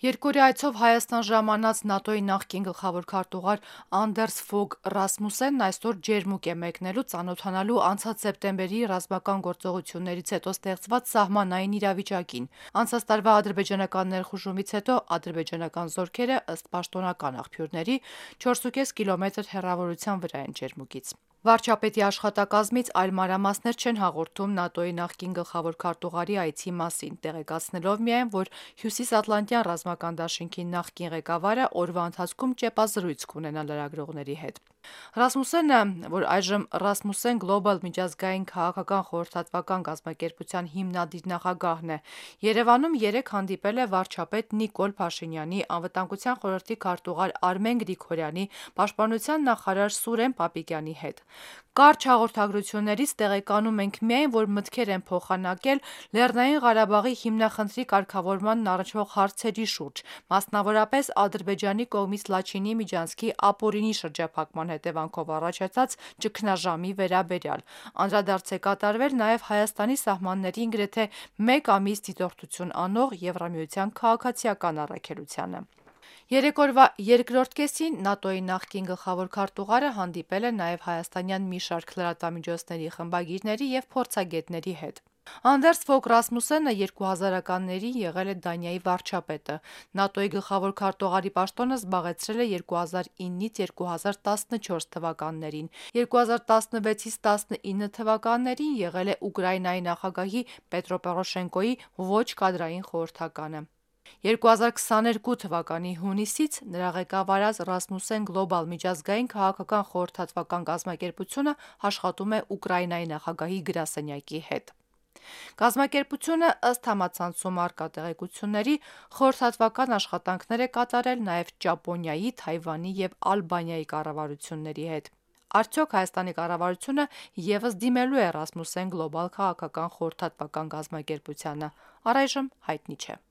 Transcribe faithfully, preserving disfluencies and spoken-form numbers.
Երկօրյա այցով Հայաստան ժամանած ՆԱՏՕ-ի նախկին գլխավոր քարտուղար Անդերս Ֆոգ Ռասմուսենն այսօր ջերմուկ է մեկնելու ծանոթանալու անցած սեպտեմբերի ռազմական գործողություններից հետո ստեղծված սահմանային իրավիճակին։ Անցած տարվա ադրբեջանական ներխուժումից հետո ադրբեջանական զորքերը, ըստ պաշտոնական աղբյուրների, չորս կիլոմետր հեռավորության վրա են ջերմուկից։ Վարչապետի աշխատակազմից այլ մանրամասներ չեն հաղորդում ՆԱՏՕ-ի նախկին գլխավոր քարտուղարի այցի մասին, տեղեկացնելով միայն, որ Հյուսիսատլանտյան ռազմական դաշինքի նախկին ղեկավարը օրվա ընթացքում ճեպազրույց կունենա լրագրողների հետ։ Ռասմուսենը, որ այժմ Rasmussen Global միջազգային քաղաքական խորհրդատվական կազմակերպության հիմնադիր նախագահն է, Երևանում երեկ հանդիպել է վարչապետ Նիկոլ Փաշինյանի, անվտանգության խորհրդի քարտուղար Արմեն Գրիգորյանի, պաշտպանության նախարար Սուրեն Պապիկյանի հետ։ Կարճ հաղորդագրություններից տեղեկանում ենք միայն, որ մտքեր են փոխանակել Լեռնային Ղարաբաղի հիմնախնդրի կարգավորմանն առնչվող հարցերի շուրջ, մասնավորապես Ադրբեջանի կողմից Լաչինի միջանցքի ապօրինի շրջափակման հետևանքով առաջացած ճգնաժամի վերաբերյալ։ Անդրադարձ է կատարվել նաև Հայաստանի սահմաններին գրեթե մեկ ամիս դիտորդություն անող Եվրամիության քաղաքացիական առաքելությանը։ Երեք օրվա երկրորդ կեսին ՆԱՏՕ-ի նախկին գլխավոր քարտուղարը հանդիպել է նաև հայաստանյան մի շարք լրատվամիջոցների խմբագիրների և փորձագետների հետ։ Անդերս Ֆոգ Ռասմուսենը երկու հազարականներին եղել է Դանիայի վարչապետը։ ՆԱՏՕ-ի գլխավոր քարտուղարի պաշտոնը զբաղեցրել է երկու հազար իննից երկու հազար տասնչորս թվականներին։ երկու հազար տասնվեցից տասնինը թվականներին եղել է Ուկրաինայի նախագահի Պետրո Պորոշենկոյի ոչ կադրային խորհրդականը։ երկու հազար քսաներկու թվականի հունիսից նրա ղեկավարած Rasmussen Global միջազգային քաղաքական խորհրդատվական կազմակերպությունը աշխատում է Ուկրաինայի նախագահի գրասենյակի հետ։ Կազմակերպությունը, ըստ համացանցում առկա տեղեկությունների, խորհրդատվական աշխատանքներ է կատարել նաև Ճապոնիայի, Թայվանի և Ալբանիայի կառավարությունների հետ։ Արդյոք Հայաստանի կառավարությունը ևս դիմելու է Rasmussen Global քաղաքական խորհրդատվական կազմակերպությանը, առայժմ հայտնի չէ։